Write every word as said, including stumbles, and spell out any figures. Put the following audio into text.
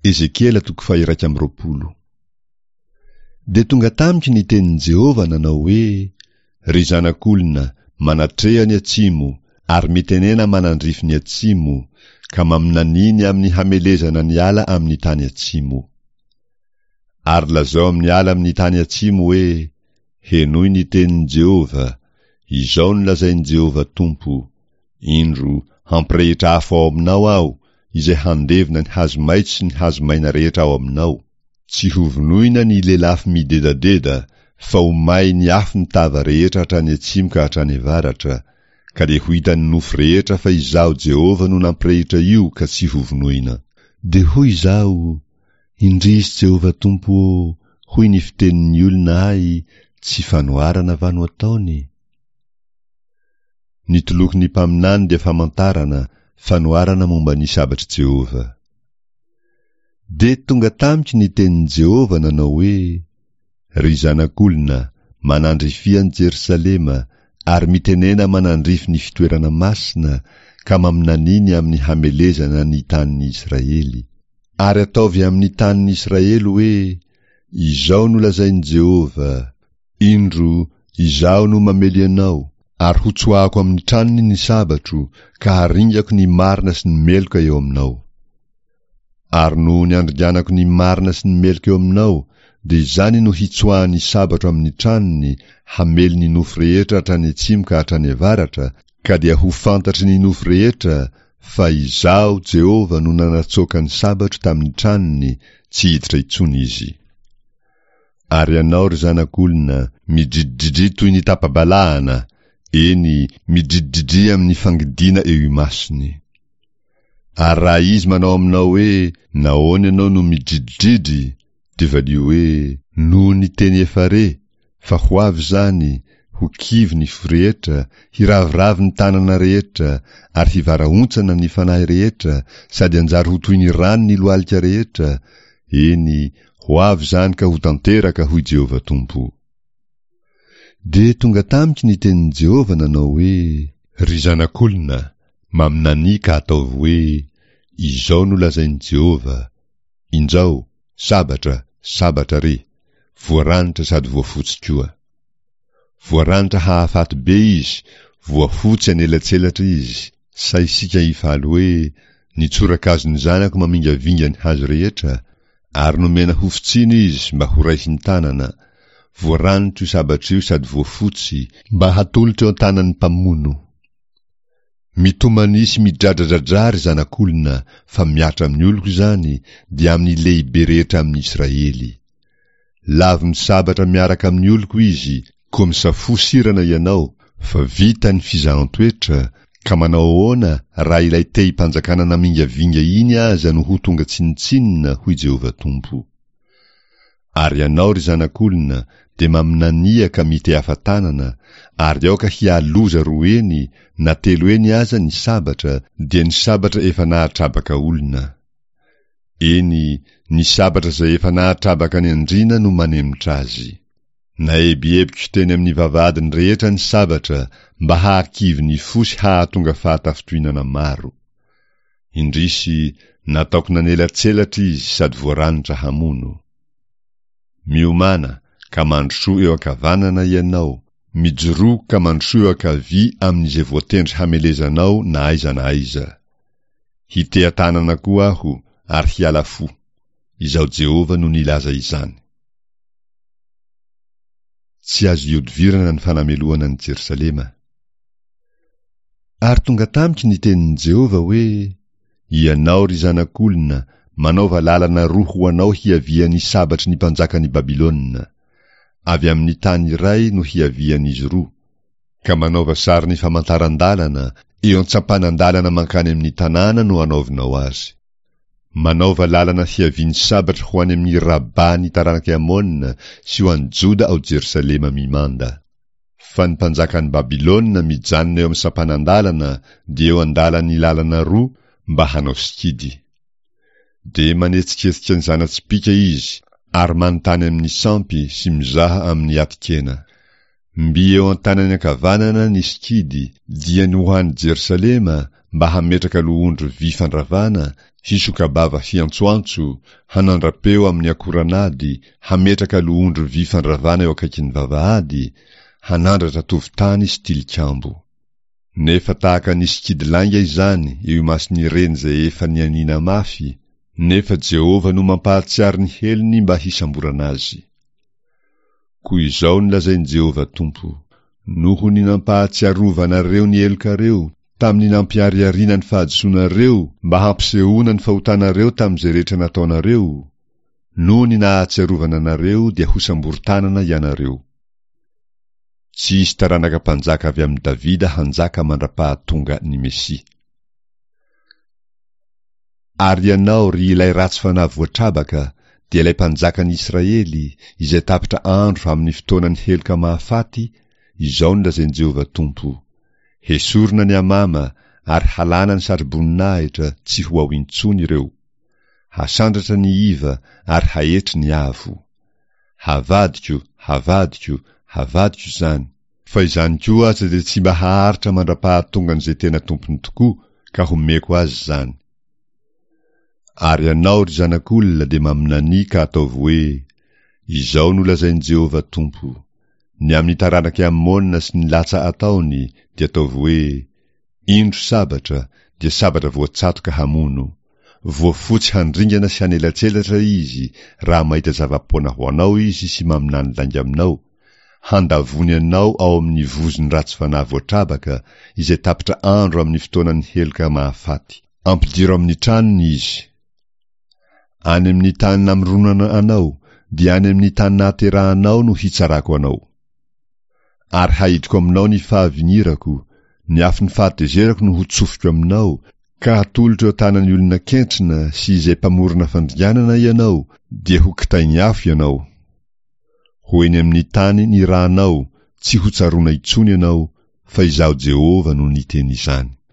Ezekiela toko faha-iraika amby roapolo. Dia tonga tamiko ny tenin'i Jehovah nanao hoe, Ry zanak'olona, manatreha ny atsimo, ary mitenena manandrify ny atsimo, ka maminania ny amin'ny hamelezana ny ala amin'ny tany atsimo. Ary lazao amin'ny ala amin'ny tany atsimo hoe, Henoy ny tenin'i Jehovah, Izao no lazain'i Jehovah Tompo, Indro, hampirehitra afo ao aminao Aho, izay handevona ny hazo maitso sy ny hazo maina rehetra ao aminao, tsy hovonoina ny lelafo midedadeda, fa ho may ny afo ny tava rehetra hatrany atsimo ka hatrany avaratra, ka dia ho hitan'ny nofo rehetra fa Izaho Jehovah no nampirehitra io ka tsy hovonoina. Dia hoy izaho, Indrisy Jehovah Tompo ô, hoy ny fitenin'ny olona ahy, tsy fanoharana va no ataony? Ny tolokon'ny mpaminany dia famantarana, fanoharana momba ny sabatr'i Jehovah. Dia tonga tamiko ny tenin'i Jehovah nanao hoe, Ry zanak'olona, manandrifia an'i Jerosalema, ary mitenena manandrify ny fitoerana masina, ka maminania ny amin'ny hamelezana ny tanin'i Israely. Ary ataovy amin'ny tanin'i Israely hoe, Izao no lazain'i Jehovah, Indro, Izaho no mamely anao, ary hotsoahako amin'ny tranony ny sabatro, ka haringako ny marina sy ny meloka eo aminao. Ary noho ny andringanako ny marina sy ny meloka eo aminao, dia izany no hitsoahan'ny sabatro amin'ny tranony, hamely ny nofo rehetra hatrany atsimo ka hatrany avaratra, ka dia ho fantatry ny nofo rehetra fa Izaho Jehovah no nanatsoaka ny sabatro tamin'ny tranony, tsy hiditra intsony izy. Ary ianao, ry zanak'olona, midridridria toy ny tapa-balahana, eny, midridridria amin'ny fangidiana eo imasony. Ary raha izy manao aminao hoe, Nahoana ianao no midridridry? dia valio hoe, Noho ny teny efa re, fa ho avy izany, ho kivy ny fo rehetra, hiraviravy ny tanana rehetra, ary hivarahontsana ny fanahy rehetra, sady hanjary ho toy ny rano ny lohalika rehetra, eny, ho avy izany ka ho tanteraka, hoy Jehovah Tompo. Dia tonga tamiko ny tenin'i Jehovah nanao hoe, Ry zanak'olona, maminania ka ataovy hoe, Izao no lazain'i Jehovah, Injao, sabatra, sabatra re, voaranitra sady voafotsy koa. Voaranitra hahafaty be izy, voafotsy anelatselatra izy, sa isika hifaly hoe, Ny tsorakazon'ny zanako mamingavinga ny hazo rehetra, ary nomena hofotsiana izy mba horaisin-tanana, voaranitra io sabatra io sady voafotsy, mba hatolotra eo an-tanan'ny mpamono. Mitomania sy midradradradrà, ry zanak'olona, fa mihatra amin'ny oloko izany, dia amin'ny lehibe rehetra amin'ny Israely. Lavon'ny sabatra miaraka amin'ny oloko izy, koa misafoa sirana ianao, fa vita ny fizahan-toetra, ka manao ahoana raha ilay tehim-panjakana namingavinga iny aza no ho tonga tsinontsinona, hoy Jehovah Tompo. Ary ianao, ry zanak'olona, dia maminania ka mitehafa tanana, ary aoka hialoza roa heny na telo heny aza ny sabatra, dia ny sabatra efa nahatrabaka olona. Eny, ny sabatra izay efa nahatrabaka ny andriana no manemitra azy. Naebiebiko teny amin'ny vavahadiny rehetra ny sabatra mba hahakivy ny fo sy hahatonga fahatafintohinana maro. Indrisy, nataoko nanelatselatra izy sady voaranitra hamono. Miomàna, ka mandrosoa eo ankavanana ianao, mijoroa ka mandrosoa eo ankavia amin'izay voatendry hamelezanao na aiza na aiza. Hiteha-tanana koa aho ary hiala fo. Izaho Jehovah no nilaza izany. Tsy azo ihodivirana ny fanamelohana an'i Jerosalema. Ary tonga tamiko ny tenin'i Jehovah hoe, Ianao, ry zanak'olona, manaova lalana roa ho anao hiavian'ny sabatry ny mpanjakan'i Babylona. Avy amin'ny tany iray no hiavian'izy roa, ka manaova sarin'ny famantaran-dalana, eo an-tsampanan-dalana mankany amin'ny tanàna no anaovinao azy. Manaova lalana hiavian'ny sabatra ho any amin'ny Rabà ny taranak'i Amona sy ho any Joda ao Jerosalema mimanda. Fa ny mpanjakan'i Babylona mijanona eo amin'ny sampanan-dalana dia eo an-dalan'ny lalana roa mba hanao sikidy. Dia manetsiketsika ny zana-tsipìka izy ary manontany amin'ny sampy sy mizaha amin'ny atin-kena. Mby eo an-tanany ankavanana ny sikidy, dia ny ho any Jerosalema mba hametraka lohondry vy fandravana, hisoka-bava hiantsoantso, hanandra-peo amin'ny akoran'ady, hametraka lohondry vy fandravana eo akaikin'ny vavahady, hanandratra tovon-tany sy tilikambo. Nefa tahaka ny sikidy lainga izany eo imason'ireny izay efa nianiana mafy, nefa Jehovah no mampahatsiaro ny helony mba hisamborana azy. Koa izao no lazain'i Jehovah Tompo, Noho ny nampahatsiarovanareo ny helokareo, tamin'ny nampiharihariana ny fahadisoanareo mba hampisehoana ny fahotanareo tamin'izay rehetra nataonareo, noho ny nahatsiarovana anareo dia hosamborin-tanana ianareo. Tsy hisy taranaka mpanjaka avy amin'i Davida hanjaka mandra-pahatonga ny Mesia. Ary ianao, ry ilay ratsy fanahy voatrabaka, dia ilay mpanjakan'i Israely, izay tapitra andro amin'ny fotoanan'ny heloka mahafaty, izao no lazain'i Jehovah Tompo, Hesorina ny amama ary halana ny satroboninahitra, tsy ho ao intsony ireo. Hasandratra ny iva ary haetry ny avo. Havadiko, havadiko, havadiko izany. Fa izany koa aza dia tsy mba haharitra mandra-pahatongan'izay tena tompony tokoa, ka homeko azy izany. Ary ianao, ry zanak'olona, dia maminania ka ataovy hoe, Izao no lazain'i Jehovah Tompo, Ny amin'ny taranak'i Amona sy ny latsa ataony, dia ataovy hoe, Indro sabatra, dia sabatra voatsatoka hamono. Voafotsy handringana sy hanelatselatra izy, raha mahita zava-poana ho anao izy sy maminany lainga aminao, handavony anao ao amin'ny vozon'ny ratsy fanahy voatrabaka, izay tapitra andro amin'ny fotoanan'ny heloka mahafaty. Ampidiro amin'ny tranony izy. Any amin'ny tany namoronana anao, dia any amin'ny tany nahaterahanao no hitsarako anao. Ary haidiko aminao ny fahavinirako, ny afon'ny fahatezerako no hotsofiko aminao, ka hatolotro eo an-tanan'ny olona kentrina sy izay mpamorona fandringanana ianao, dia ho kitain'ny afo ianao. Ho eny amin'ny tany nirahanao, tsy hotsaroana intsony ianao, fa Izaho Jehovah no niteny izany.